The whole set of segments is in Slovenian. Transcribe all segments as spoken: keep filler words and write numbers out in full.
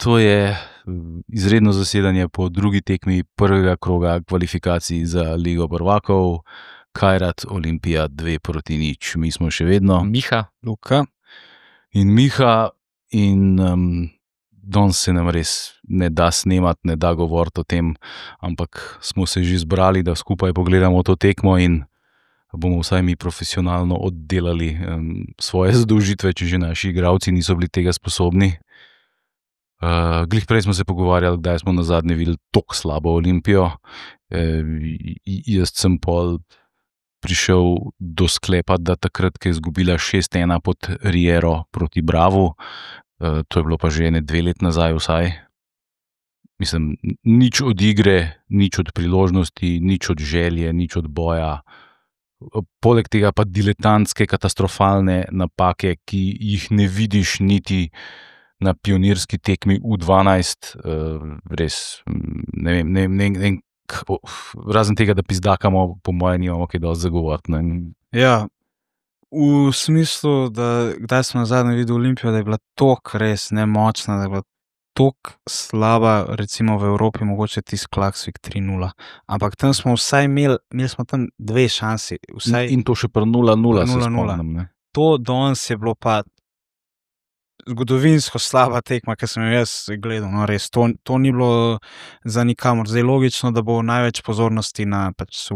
To je izredno zasedanje po drugi tekmi prvega kroga kvalifikacij za Ligo prvakov. Kairat Olimpija dve proti nič. Mi smo še vedno Miha, Luka in Miha in um, danes se nam res ne da snemati, ne da govoriti o tem, ampak smo se že zbrali, da skupaj pogledamo to tekmo in bomo vsaj mi profesionalno oddelali um, svoje zadolžitve, če že naši igralci niso bili tega sposobni. Uh, glih prej smo se pogovarjali, kdaj smo nazadnje videli tako slabo Olimpijo. E, jaz sem pol prišel do sklepa, da takrat, ko je izgubila šest ena pod Riero proti Bravu, uh, to je bilo pa že ene dve let nazaj vsaj. Mislim, nič od igre, nič od priložnosti, nič od želje, nič od boja. Poleg tega pa diletantske, katastrofalne napake, ki jih ne vidiš niti na pionirski tekmi U dvanajst, res, ne vem, ne, ne, ne, razen tega, da pizdakamo, po mojem, nimamo kaj dosti zagovoriti. Ja, v smislu, da kdaj smo nazadnje videli Olimpijo, da je bila toliko res nemočna, da je bila toliko slaba, recimo v Evropi, mogoče tisti Klaksvik tri nula. Ampak tam smo vsaj imeli, imeli smo tam dve šansi. Vsaj in to še pri nula nula se nula nula. spomnim. Ne? To danes je bilo pa zgodovinsko slaba tekma, ki sem jo jaz gledal. No, res, to, to ni bilo za nikamor. Zdaj logično, da bo največ pozornosti na pač,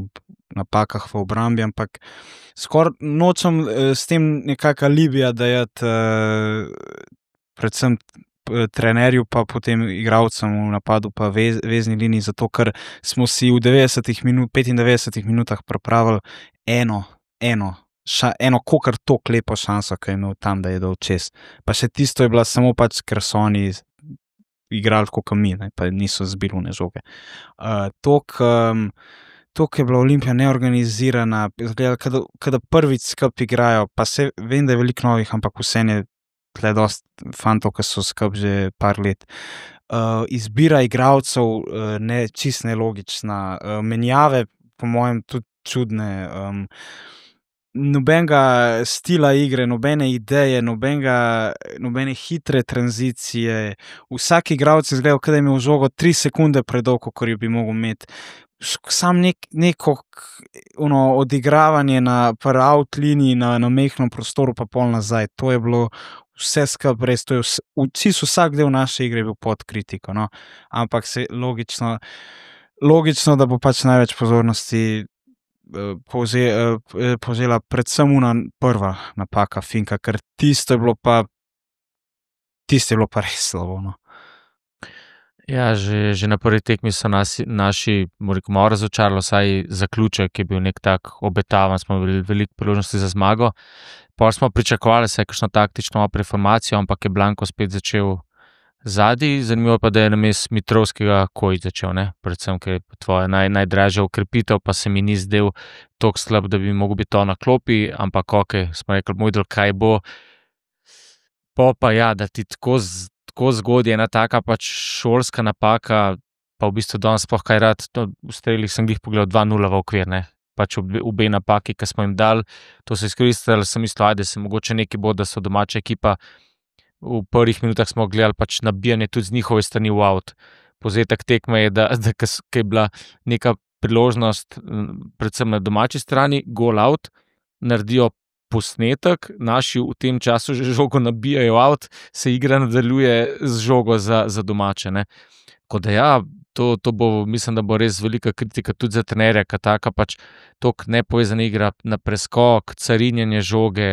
napakah v obrambi, ampak skoraj nočem eh, s tem nekaka Libija dajati eh, predvsem trenerju, pa potem igralcem v napadu, pa vez, vezni liniji, zato ker smo si v devetdesetih minut, petindevetdesetih minutah pripravili eno, eno, ša, eno kokar tok lepo šanso, ki je imel tam, da je dol čez. Pa še tisto je bila samo pač, ker so oni igrali kot mi, ne, pa niso zbili v žoge. Uh, tok, um, tok je bila Olimpija neorganizirana, kada, kada prvič skup igrajo, pa se vem, da je veliko novih, ampak vse je tle dost fantov, ki so skup že par let. Uh, izbira igralcev uh, ne, čist nelogična, uh, menjave po mojem tudi čudne, um, nobenega stila igre, nobene ideje, nobenega, nobene hitre tranzicije. Vsak igralec je izgledal, kada je imel žogo tri sekunde predolgo, kot jo bi mogel imeti. Sam nek, neko ono, odigravanje na out liniji, na, na mehnem prostoru, pa pol nazaj. To je bilo vse skup res, to je vse, vsi vsak del naše igre je bil pod kritiko, no. Ampak se logično, logično, da bo pač največ pozornosti povze, povzela predvsem una prva napaka Finka, ker tisto je bilo pa tisto je bilo pa res slabo, no. Ja, že, že na prvi tekmi so nasi, naši malo razočarali, vsaj zaključek je bil nek tak obetavan, smo bili veliko priložnosti za zmago. Pol smo pričakovali se kakšno taktično preformacijo, ampak je Blanko spet začel zadnji. Zanimivo pa, da je namesto Mitrovskega Kojić začel, ne? Predvsem, ker je tvoja naj, najdražja ukrepitev, pa se mi ni zdel toliko slab, da bi mogel biti to na klopi, ampak ok, smo rekli, moj del, kaj bo. Po pa ja, da ti tako z tako zgodje, ena taka pač šolska napaka, pa v bistvu danes sploh kaj rad, no, v strelih sem jih pogledal dva nula v okvir, ne, pač obe, obe napaki, ki smo jim dali, to so izkoristili, sem mislil, ajde se mogoče neki bo, da so domača ekipa, v prvih minutah smo gledali pač nabijanje tudi z njihove strani v out. Povzetek tekme je, da, da ko je bila neka priložnost, predvsem na domači strani, goal out, naredijo posnetek, naši v tem času že žogo nabijajo out, se igra nadaljuje z žogo za, za domače. Ne. Tako da ja, to, to bo, mislim, da bo res velika kritika tudi za trenerja, ka taka pač tok nepovezana igra na preskok, carinjenje žoge,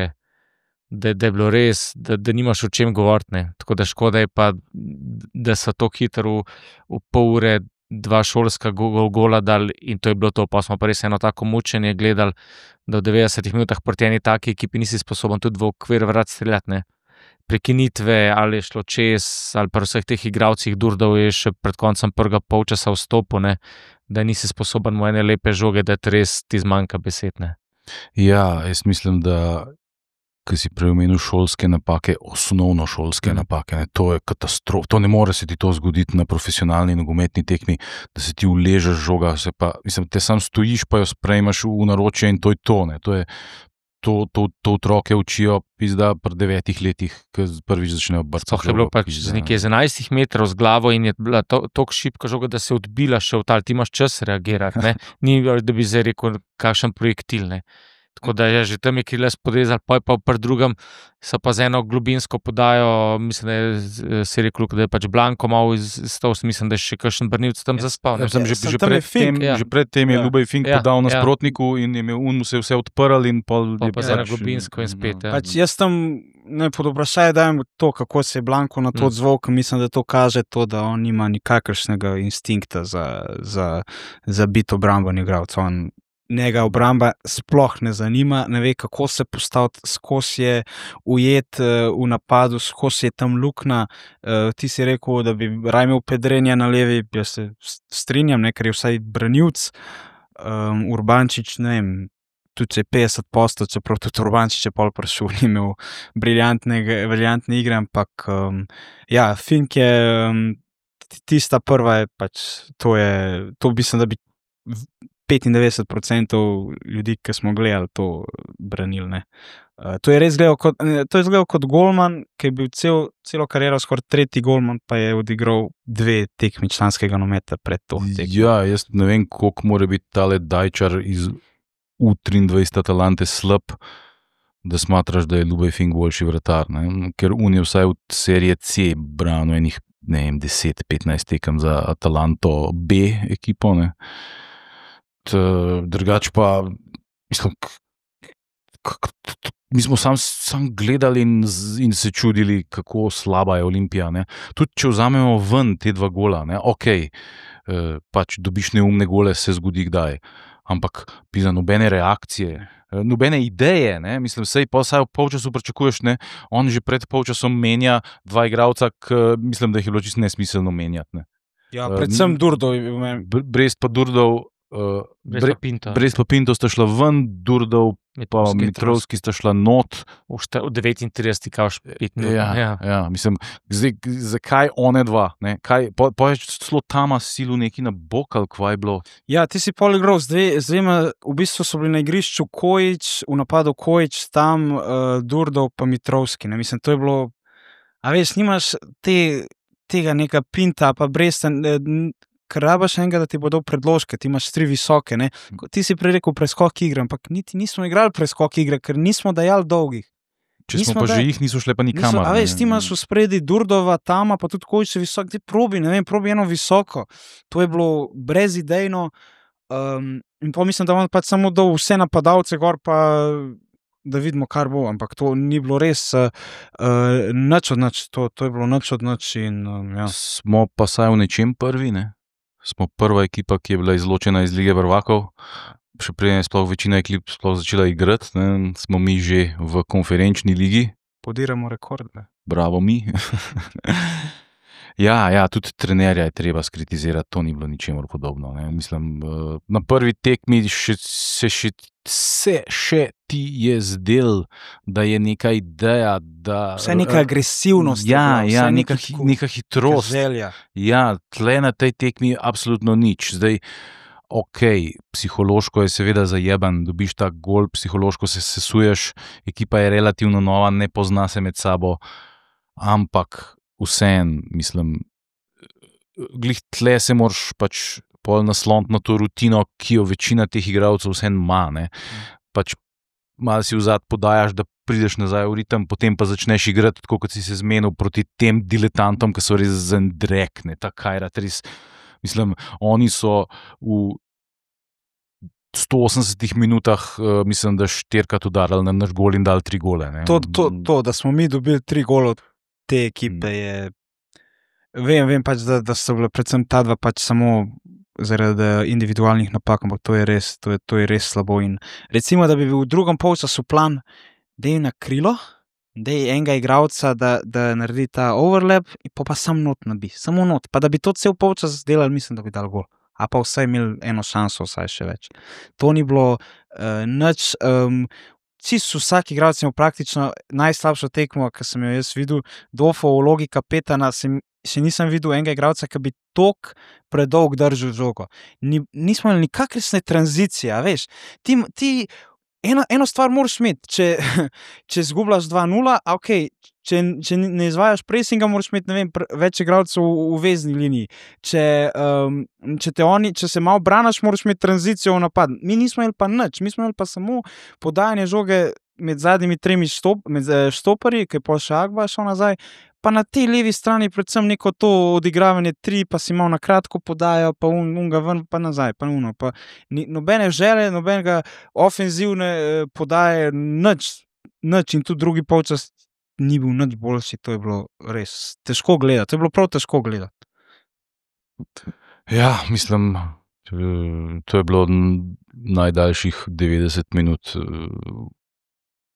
da, da je bilo res, da, da nimaš o čem govoriti. Ne. Tako da škoda je pa, da so to hitro v, v pol ure dva šolska go, gola dali in to je bilo to, pa smo pa res eno tako mučenje gledali, da v devetdesetih minutah proti eni taki ekipi nisi sposoben tudi v okvir vrat streljati, ne. Prekinitve, ali je šlo čez, ali pa vseh teh igralcih Durdov je še pred koncem prvega polčasa vstopil, ne, da nisi sposoben mu ene lepe žoge, da ti res ti zmanjka besed, ne. Ja, jaz mislim, da ki si preomenil šolske napake, osnovno šolske mm. napake, ne, to je katastrofa, to ne more se ti to zgoditi na profesionalni nogometni tekmi, da se ti uležeš žoga, se pa, mislim, te sam stojiš, pa jo sprejmaš v naročje in to je to, ne, to je, to, to, to otroke učijo pizda pri devetih letih, ko prvič začnejo brcati. Sploh je bilo pač z nekje z enajstih metrov z glavo in je bila to, toliko šibka žoga, da se je odbila še v tal, ti imaš čas reagirati, ne? Ni, da bi zdaj rekel, kakšen projektil, ne. Tako da je že tam je kriles podrezal, pa je pa pri drugem so pa z eno globinsko podajo, mislim, da je se rekel, da je pač Blanko malo izstal, mislim, da je še kakšen brnilc tam zaspal. Ja, sem že, sem že, tam je pred Fink, tem, ja. že pred tem je Ja. Ljubej Fink Ja, podal ja. nasprotniku in je imel un, mu se je vse odprl in pol Pa je pa z eno pač- globinsko in spet, ja. Pač jaz tam ne pod vprašanje dajem to, kako se je Blanko na to Mm. odzval, ker mislim, da to kaže to, da on nima nikakršnega instinkta za, za, za biti obramben igralec. On njega obramba sploh ne zanima, ne ve, kako se postaviti, skozi je ujet uh, v napadu, skozi je tam luknja. Uh, ti si rekel, da bi raje imel Pedrenja na levi, jaz se s- strinjam, ne, ker je vsaj branilc. Um, Urbančič, ne vem, tudi če je petdeset posto, čeprav tudi Urbančič je pol prišel, ni imel briljantnega- briljantne igre, ampak um, ja, Fink je um, t- tista prva, je pač, to je, to mislim, da bi v- petindevetdeset procentov ljudi, ki smo gledali, to branili. Ne. Uh, to je res gledal kot, ne, to je izgledal kot golman, ki je bil cel, celo kariero skoraj tretji golman, pa je odigral dve tekmi članskega nometa pred to tekmo. Ja, jaz ne vem, koliko mora biti tale Dajčar iz U triindvajset Atalante slab, da smatraš, da je Ljubej Fink boljši vratar. Ne? Ker on je vsaj od serije C branil enih, ne vem, deset petnajst tekem za Atalanto B ekipo. Ne? T, drugač pa, mislim, k, k, k, t- mi smo sam, sam gledali in, z- in se čudili, kako slaba je Olimpija. Ne? Tudi če vzamemo ven te dva gola, ne? ok, eh, pač dobiš neumne gole, se zgodi kdaj. Ampak pisa nobene reakcije, eh, nobene ideje, ne? Mislim, sej pa vsaj v polčasu pričakuješ, ne? On že pred polčasom menja dva igralca, k, mislim, da jih je bilo čisto nesmiselno menjati. Ne? Ja, Uh, predvsem Durdov je bil meni. Br- Brest pa Durdov, uh, Brez Bre, pa Pinto. Brest pa Pinto sta šla ven, Durdov pa Mitrovski. Mitrovski sta šla not. V šta- v devetintridesetih kao pet minut. Ja, ja. ja, mislim, zdaj, k- zakaj one dva? Ne? Kaj, po, po je celo Tama silu neki na bok, ali kva je bilo? Ja, ti si pol igral z dve, z dvema, v bistvu so bili na igrišču Kojič, v napadu Kojič, tam uh, Durdov pa Mitrovski. Ne? Mislim, to je bilo, a veš, nimaš te, tega neka Pinta, pa Bresta, ne, n- ker rabaš enega, da ti bo dal predložke, ti imaš tri visoke. Ne? Ko- Ti si prej rekel preskok igre, ampak niti nismo igrali preskok igre, ker nismo dajali dolgih. Če smo Nismo pa da- že jih, niso šle pa Niso, nikamor. a ne. veš, ti imaš v spredi Durdova, Tama, pa tudi Kojič je visok, ti probi, ne vem, probi eno visoko. To je bilo brezidejno. Um, in pa mislim, da on pač samo dal vse napadalce gor, pa da vidimo, kar bo. Ampak to ni bilo res uh, uh, nič od nič, to, to je bilo nič od nič. In, um, ja. Smo pa saj v nečem prvi, ne? Smo prva ekipa, ki je bila izločena iz Lige prvakov. Še preden je sploh večina ekip sploh začela igrati, ne? Smo mi že v konferenčni ligi. Podiramo rekorde. Bravo mi. Ja, ja, tudi trenerja je treba skritizirati, to ni bilo ničemur podobno. Ne. Mislim, eh, na prvi tekmi še, se, še, se še ti je zdel, da je neka ideja, da... Vse neka agresivnost. je Ja, bila, ja, vsaj neka, neki hi- tako- neka hitrost. želja. Ja, tle na tej tekmi absolutno nič. Zdaj, ok, psihološko je seveda zajeban, dobiš ta gol, psihološko se sesuješ, ekipa je relativno nova, ne pozna se med sabo, ampak vseen, mislim, glih tle se moraš pač pol nasloniti na to rutino, ki jo večina teh igralcev vseen ima, ne. Pač malo si vzad podajaš, da prideš nazaj v ritem, potem pa začneš igrati tako, kot si se zmenil proti tem diletantom, ki so res zendrek, ne, ta Kajrat, res, mislim, oni so v sto osemdesetih minutah, uh, mislim, da štirikrat udarili na naš gol in dali tri gole, ne. To, to, to, da smo mi dobili tri gole od te ekipe, je. Vem, vem pač, da, da so bile predvsem ta dva pač samo zaradi individualnih napak, ampak to je res, to je, to je res slabo. In recimo, da bi bil v drugem polčasu plan, da je na krilo, da je enega igralca, da, da naredi ta overlap, in pa, pa sam not nabi, samo not. Pa da bi to cel polčas delali, mislim, da bi dal gol. A pa vsaj imeli eno šanso, vsaj še več. To ni bilo uh, nič. Um, Čisto vsak igralec je imel praktično najslabšo tekmo, ki sem jo jaz videl. Dofo v vlogi kapetana sem, še nisem videl enega igralca, ki bi tok predolg držal žogo. Ni, nismo imeli nikakršne tranzicije, a veš. Ti, ti ena, eno stvar moraš imeti, če, če zgubljaš dva nula, ok, če, če ne izvajaš presinga, moraš imeti, ne vem, pre, več igralcev v, v vezni liniji. Če, um, če, te oni, če se malo branaš, moraš imeti tranzicijo v napad. Mi nismo imeli pa nič, mi smo imeli pa samo podajanje žoge med zadnjimi tremi štop, med štoparji, ki je pol še Agba šel nazaj, pa na tej levi strani predvsem neko to odigravanje tri, pa si malo na kratko podajo, pa un, unga ven, pa nazaj, pa uno. Pa ni, nobene žele, nobenega ofenzivne eh, podaje, nič, nič. In tudi drugi polčas ni bil nič boljši, to je bilo res težko gledati, to je bilo prav težko gledati. Ja, mislim, to je bilo najdaljših devetdeset minut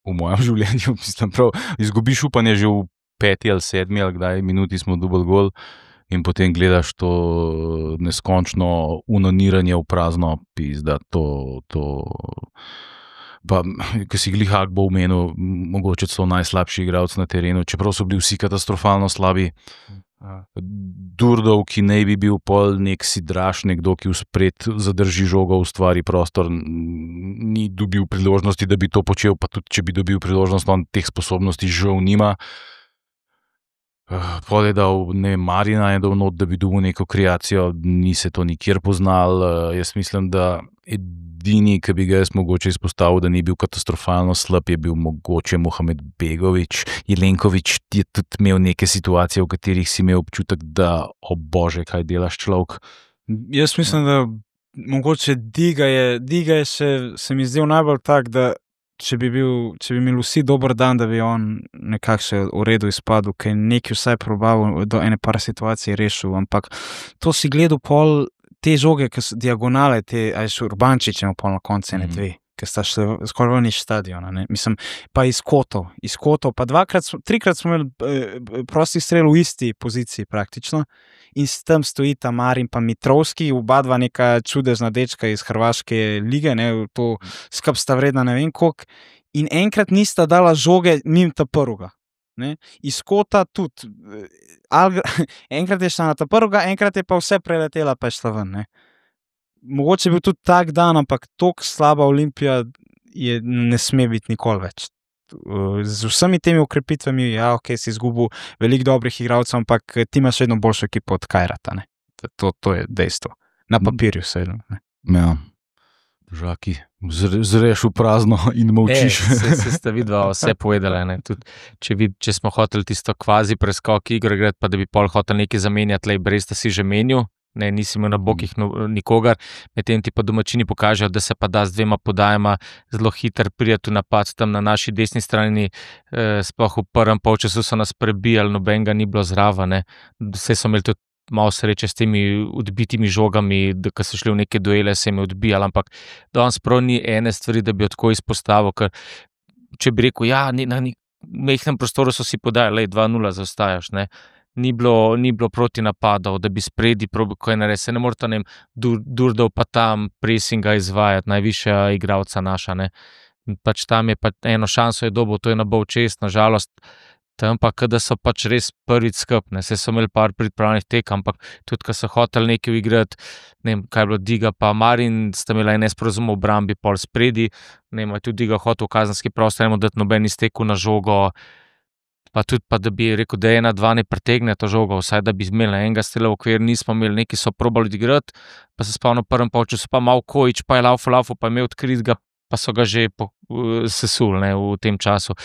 v mojem življenju. Mislim, prav, izgubiš upanje že v peti ali sedmi ali kdaj minuti smo dubl gol in potem gledaš to neskončno unoniranje v prazno, pizda, to, to... Pa, ko si glih Agbo omenil, mogoče so najslabši igralci na terenu, čeprav so bili vsi katastrofalno slabi. Durdov, ki ne bi bil pol nek sidraš, nekdo, ki vspred zadrži žogo, ustvari prostor, ni dobil priložnosti, da bi to počel, pa tudi, če bi dobil priložnost, on teh sposobnosti žal nima. Pol je dal, ne vem, Marina je dal not, da bi dobil neko kreacijo, ni se to nikjer poznal. Jaz mislim, da edini, ki bi ga jaz mogoče izpostavil, da ni bil katastrofalno slab, je bil mogoče Mohamed Begović. Jelenković je tudi imel neke situacije, v katerih si imel občutek, da, o bože, kaj delaš človek. Jaz mislim, da mogoče Diga je, Diga je še, se mi zdel najbolj tak, da če bi bil, če bi imeli vsi dober dan, da bi on nekako še v redu izpadel, ker je nekaj vsaj probal do ene par situacij rešil, ampak to si gledal pol te žoge, ki so diagonale, te, aj še Urbančič ima pol na koncu ene dve, ki sta šli skoraj ven iz stadiona, ne, mislim, pa iz kotov, iz kotov, pa dvakrat, trikrat smo imeli eh, prosti strel v isti poziciji praktično in s tem stojita Marin pa Mitrovski, oba dva neka čudežna dečka iz hrvaške lige, ne, to skup sta vredna ne vem koliko, in enkrat nista dala žoge mimo ta prvega. Ne? Iz kota tudi, Algra, enkrat je šla na ta prvega, enkrat je pa vse preletela, pa je šla ven. Ne? Mogoče je bil tudi tak dan, ampak toliko slaba Olimpija je, ne sme biti nikoli več. Z vsemi temi ukrepitvami, ja, ok, si izgubil veliko dobrih igralcev, ampak ti imaš vedno boljšo ekipo od Kajrata. Ne? To, to je dejstvo. Na papirju seveda. Ja. Žaki, zreš v prazno in molčiš. E, se, se sta vidva vse povedala. Ne? Tud, če, vid, če smo hoteli tisto kvazi preskok igro igrati, pa da bi pol hotel nekaj zamenjati, lej, brez da si že menil, ne, nisi imel na bokih no, nikogar, medtem ti pa domačini pokažejo, da se pa da z dvema podajama zelo hiter prijeti v napad tam na naši desni strani, eh, sploh v prvem polčasu so nas prebijali, nobenega ni bilo zraven, vse so imeli tudi malo sreče s temi odbitimi žogami, da ko so šli v neke duele, se jim je odbijali, ampak danes prav ni ene stvari, da bi jo tako izpostavil, ker če bi rekel, ja, na mehnem prostoru so si podajali, lej, dva nula zaostajaš, ne, ni bilo, ni bilo proti napadov, da bi spredi probil, ko je naredil, se ne morata, ne vem, dur, Durdov pa tam presinga izvajati, najvišja igralca naša, ne, pač tam je pa eno šanso je dobil, to je na bol čest, nažalost, tam pa, kada so pač res prvič skupne, se so imeli par pripravljenih tek, ampak tudi, ko so hoteli nekaj igrati, ne vem, kaj je bilo Diga, pa Marin, sta imela en nesporazum v obrambi, pol spredi, ne vem, tudi Diga hotel v kazenski prostor, ne dati noben iztekel na žogo, pa tudi, pa da bi rekel, da ena, dva ne pretegne to žogo, vsaj da bi imeli enega strela v okvir, nismo imeli, neki so probali igrati, pa se spavno v prvem polčasu, pa malo Kojič, pa je laufo, laufo, pa je imel odkrit ga, pa so ga že po, sesuli, ne, v tem času.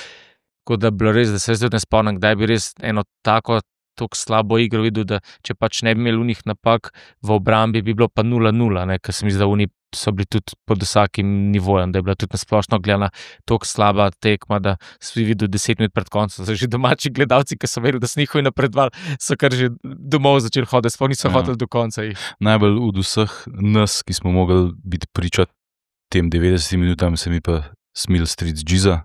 Tako da bilo res, da se zdaj ne spomnim, kdaj bi res eno tako, tako slabo igro videl, da če pač ne bi imeli unih napak v obrambi, bi bilo pa nula nula, ker se mi zdi, da uni so bili tudi pod vsakim nivojem, da je bila tudi nasplošno gledana tako slaba tekma, da si videl deset minut pred koncem, so že domači gledalci, ki so verili, da so njihovi napredovali, so kar že domov začeli hoditi, sploh niso ja. hoteli do konca jih. Najbolj od vseh nas, ki smo mogli biti priča tem devetdesetim minutam, se mi pa smil stric Džiza,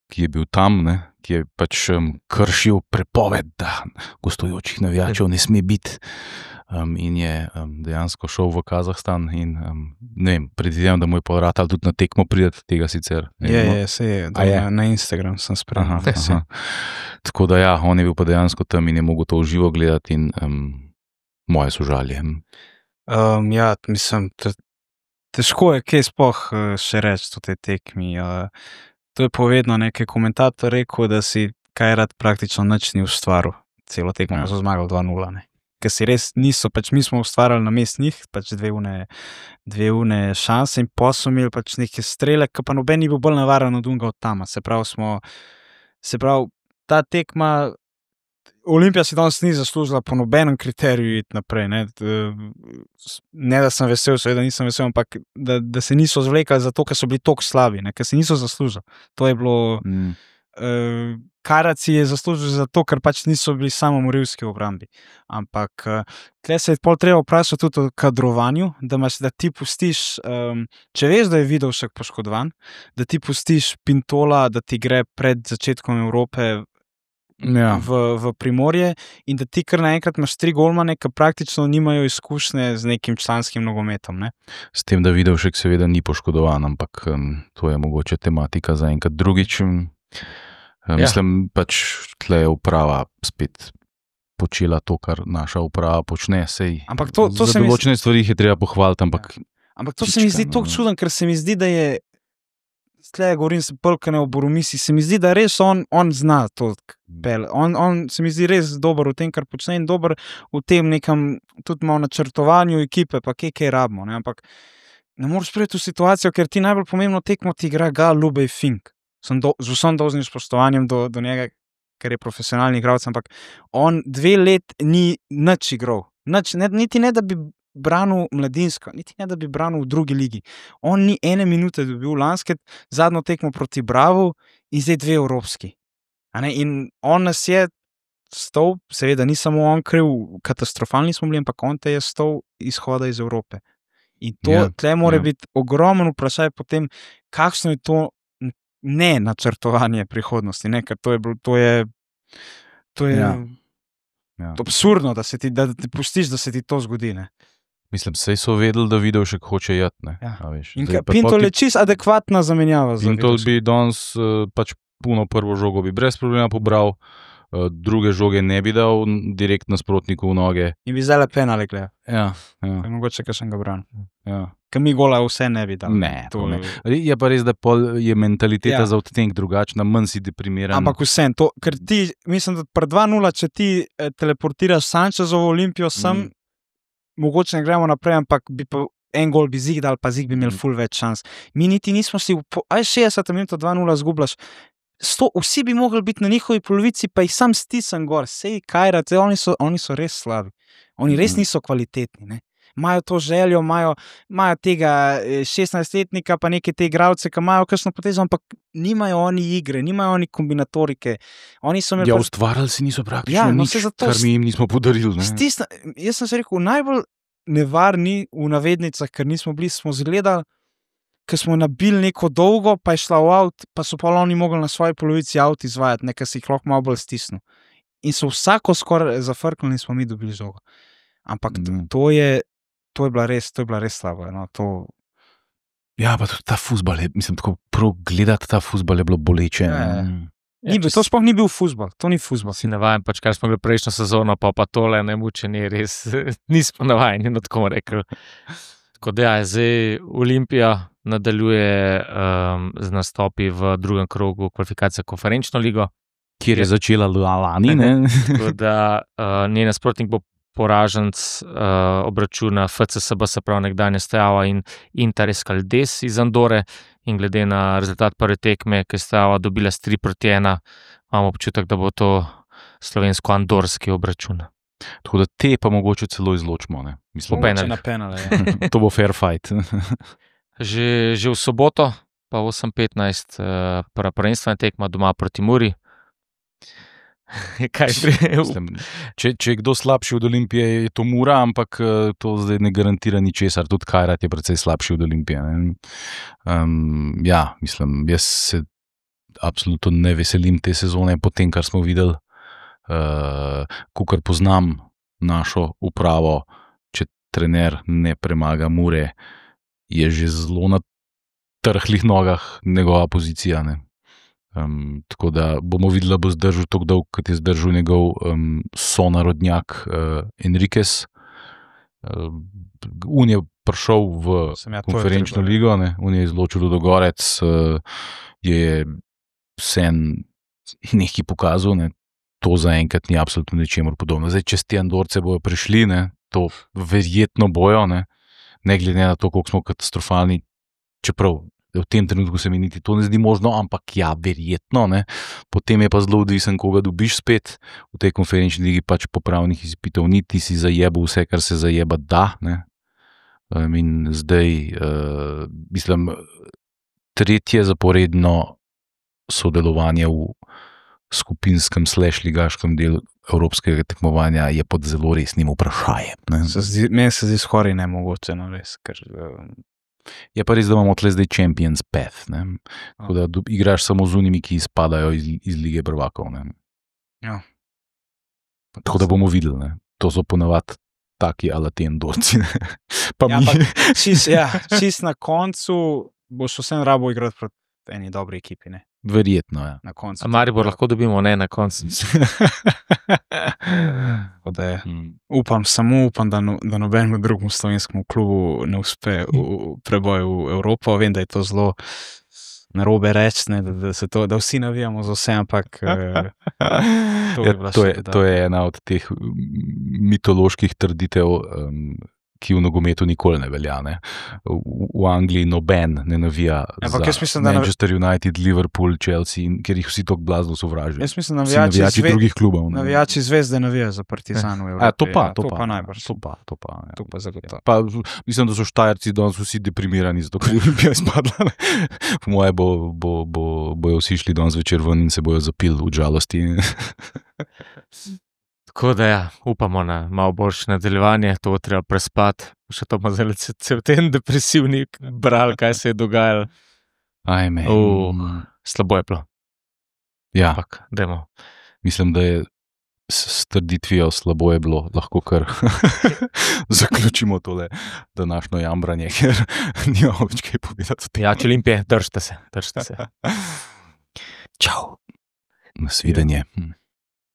ki je bil tam, ne, ki je pač um, kršil prepoved, da gostujočih navijačev ne sme biti um, in je um, dejansko šel v Kazahstan in um, ne vem, predvidevam, da mu je povratal tudi na tekmo pridati tega sicer. Je, je, se je, da je. Na Instagram sem spremljal. Tako da ja, on je bil pa dejansko tam in je mogel to v živo gledati in um, moje sožalje. Um, ja, mislim, težko je kaj sploh uh, še reči o tej tekmi. Uh, to je povedno nekaj komentator rekel, da si kaj rad praktično nič ni ustvaril. Celo tekmo Ja. so zmagali dva nula. Ker si res niso, pač mi smo ustvarjali na mest njih, pač dve une, dve une šanse in pa so imeli pač neke strele, ki pa noben ni bil bolj navaren od unga od tama. Se pravi, smo, se pravi, ta tekma, Olimpija si danes ni zaslužila po nobenem kriteriju iti naprej. Ne, ne da sem vesel, seveda nisem vesel, ampak da, da se niso zvlekali zato, ker so bili toliko slabi, ne, ker se niso zaslužili. To je bilo... Mm. Uh, Karat si je zaslužil zato, ker pač niso bili samomorilski v obrambi. Ampak uh, tukaj se je pol treba vprašati tudi o kadrovanju, da, imaš, da ti pustiš, um, če veš, da je Vidovšek poškodovan, da ti pustiš Pintola, da ti gre pred začetkom Evrope Ja. v, v Primorje in da ti kar naenkrat imaš tri golmane, ki praktično nimajo izkušnje z nekim članskim nogometom. Ne? S tem, da Vidovšek seveda ni poškodovan, ampak um, to je mogoče tematika za enkrat drugič. Um, Ja. Mislim, pač tle je uprava spet počela to, kar naša uprava počne. Sej, Ampak to, to za se mi določene stvari jih je treba pohvaliti, ampak Ampak to se mi Čička, zdi no, tako no. čuden, ker se mi zdi, da je, tle govorim se polkane o Boromisi, se mi zdi, da res on, on zna to pel. On, on se mi zdi res dober v tem, kar počne in dober v tem nekem tudi malo načrtovanju ekipe, pa kje kaj rabimo. Ne? Ampak ne moreš priti v situacijo, ker ti najbolj pomembno tekmo ti igra Gal Lubej Fink. Sem do, z vsem dolžnim spoštovanjem do, do njega, ker je profesionalni igralec, ampak on dve let ni nič igral. Nič, ne, niti ne, da bi branil mladinsko, niti ne, da bi branil v drugi ligi. On ni ene minute dobil lanske, zadnjo tekmo proti Bravu in zdaj dve evropski. A ne? In on nas je stal, seveda ni samo on kriv, katastrofalni smo bili, ampak on te je stal izhoda iz Evrope. In to, Ja, tle mora ja. biti ogromen vprašaj potem, kakšno je to ne načrtovanje prihodnosti, ne? Ker to je, bilo- to je, to je Ja. Ja. absurdno, da, se ti, da ti pustiš, da se ti to zgodi. Ne? mislim, sej so vedeli, da Vidovšek hoče jeti. Ne, Ja. a veš. In Zdaj ka- pa Pintol pol je ti- čist adekvatna zamenjava. za Pintol Vidovška. bi danes uh, pač puno prvo žogo bi brez problema pobral, uh, druge žoge ne bi dal n- direkt nasprotniku v noge. In bi zdaj le penale gledal. Ja, ja, Mogoče, ker sem ga branil. ja. Ker mi gola vse ne bi dal. Ne, to To- ne. Je pa res, da pol je mentaliteta Ja. ja. za odtenek drugačna, manj si deprimiran. Ampak vsem, to, ker ti, mislim, da pred dva nula, če ti eh, teleportiraš Sančezovo Olimpijo sem, Mm. mogoče ne gremo naprej, ampak bi pa en gol bi zig dal, pa zig bi imel Mm. ful več šans. Mi niti nismo si, v po- aj šestdeset minut dva nula zgubljaš, sto, vsi bi mogli biti na njihovi polovici, pa jih sam stisnem gor, sej kajrat, sej oni so, oni so res slabi. Oni res Mm. niso kvalitetni, ne. Imajo to željo, imajo, imajo tega eh, šestnajstletnika, pa neke te igralce, ki imajo kakšno potezo, ampak nimajo oni igre, nimajo oni kombinatorike. Oni so imeli Ja, pač- ustvarjali si niso praktično Ja, ja, no, nič, saj zato kar s- mi jim nismo podarili. Ne? Stisna, jaz sem se rekel, najbolj nevarni v navednicah, ker nismo bili, smo zgledali, ker smo nabili neko dolgo, pa je šla v avt, pa so pa oni mogli na svoji polovici avt izvajati, nekaj si jih lahko malo bolj stisnil. In so vsako skoraj zafrknili in smo mi dobili žogo. Ampak to, Mhm. to je, to je bila res, to je bila res slaba. No, to, Ja, pa tudi ta fuzbal, je, mislim, tako prav gledati ta fuzbal je bilo boleče. Ja, ja. ne. ni bil, to sploh ni bil fuzbal, to ni fuzbal. Si navajen, pač kar smo gledali prejšnjo sezono, pa, pa tole ne mučenje, res nismo navajeni, no tako bomo rekli. Tako da ja, zdaj Olimpija nadaljuje um, z nastopi v drugem krogu kvalifikacije konferenčno ligo. Kjer je začela lani. Ne? Tako da uh, njen nasprotnik bo poraženc uh, obračuna F C S B, se pravi nekdanje Steaua in Inter Escaldes iz Andore. In glede na rezultat prve tekme, ki je Steaua dobila s tri proti ena, imamo občutek, da bo to slovensko-andorski obračun. Tako da te pa mogoče celo izločimo. Ne? Mislim, Po penalih. Na penale, ja. to bo fair fight. Že, že v soboto, pa osem petnajst, uh, prva prvenstvena tekma doma proti Muri. Kaj pri... Mislim, če, če je kdo slabši od Olimpije, je to Mura, ampak eh, to zdaj ne garantira ničesar. Tudi Kajrat je precej slabši od Olimpije. ne. Um, ja, mislim, jaz se absolutno ne veselim te sezone, po tem, kar smo videli. Uh, Kukor poznam našo upravo, če trener ne premaga Mure, je že zelo na trhlih nogah njegova pozicija. Ne. Um, tako da bomo videli, da bo zdržal tako dolgo, kot je zdržal njegov um, sonarodnjak uh, Enriquez. Uh, un je prišel v Sem ja, to je konferenčno treba, ligo, ne, on je izločil Ludogorec, uh, je vsem nekaj pokazal, ne, to zaenkrat ni absolutno ničemur podobno. Zdaj, če ti Andorce bojo prišli, ne, to verjetno bojo, ne, ne glede na to, koliko smo katastrofalni, čeprav v tem trenutku se mi niti to ne zdi možno, ampak ja, verjetno, ne. Potem je pa zelo odvisen, koga dobiš spet. V tej konferenčni ligi pač popravnih izpitov ni, ti si zajebal vse, kar se zajeba da, ne. Um, in zdaj, uh, mislim, tretje zaporedno sodelovanje v skupinskem slash ligaškem delu evropskega tekmovanja je pod zelo resnim vprašanjem, ne. Se zdi, meni se zdi skoraj nemogoče, no res, ker um, Je pa res, da imamo tle zdaj Champions Path, ne. Tako da do, igraš samo z unimi, ki izpadajo iz, iz lige prvakov, ne. ja. Tako da bomo videli, ne. To so ponavadi taki ala te Andorci, ne. Pa Ja, mi. ampak čist, ja, čist na koncu boš vsem rabo igrati proti eni dobri ekipi, ne, Verjetno, ja. na koncu. A Maribor lahko dobimo, ne na koncu. Tako da je. Hmm. Upam, samo upam, da, no, da nobenemu drugemu slovenskemu klubu ne uspe v, v preboj v Evropo. Vem, da je to zelo narobe reči, ne, da, da, se to, da vsi navijamo za vse, ampak eh, to bi Ja, bila to, še je, dodatna. to je ena od teh mm, mitoloških trditev, um, ki v nogometu nikoli ne velja, ne. V, v Angliji noben ne navija Ampak za jaz mislim, da nav- Manchester United, Liverpool, Chelsea, in- ker jih vsi tako blazno sovražijo. Jaz mislim, Vsi navijači, navijači zve, drugih klubov. ne. navijači zvezde navijajo za Partizan v Evropi. A, to pa, ja, to, to pa, pa najbrž. To pa, to pa, ja. To pa zagotovo. Pa, mislim, da so Štajerci danes vsi deprimirani, zato ker je Olimpija izpadla. ne. Po moje bo, bo, bo, bojo vsi šli danes večer ven in se bojo zapili v žalosti. Tako da ja, upamo na malo boljše nadaljevanje, to bo treba prespati. Še to bomo zdaj ce- cel ten depresivni brali, kaj se je dogajalo. Ajme. Uh. Slabo je bilo, Ja, ampak dajmo. mislim, da je s s trditvijo slabo je bilo, lahko kar zaključimo tole današnjo jambranje, ker nimamo več kaj povedati o tem. Ja, če Olimpije, držite se, držite se. Čau. Nasvidenje. Hm.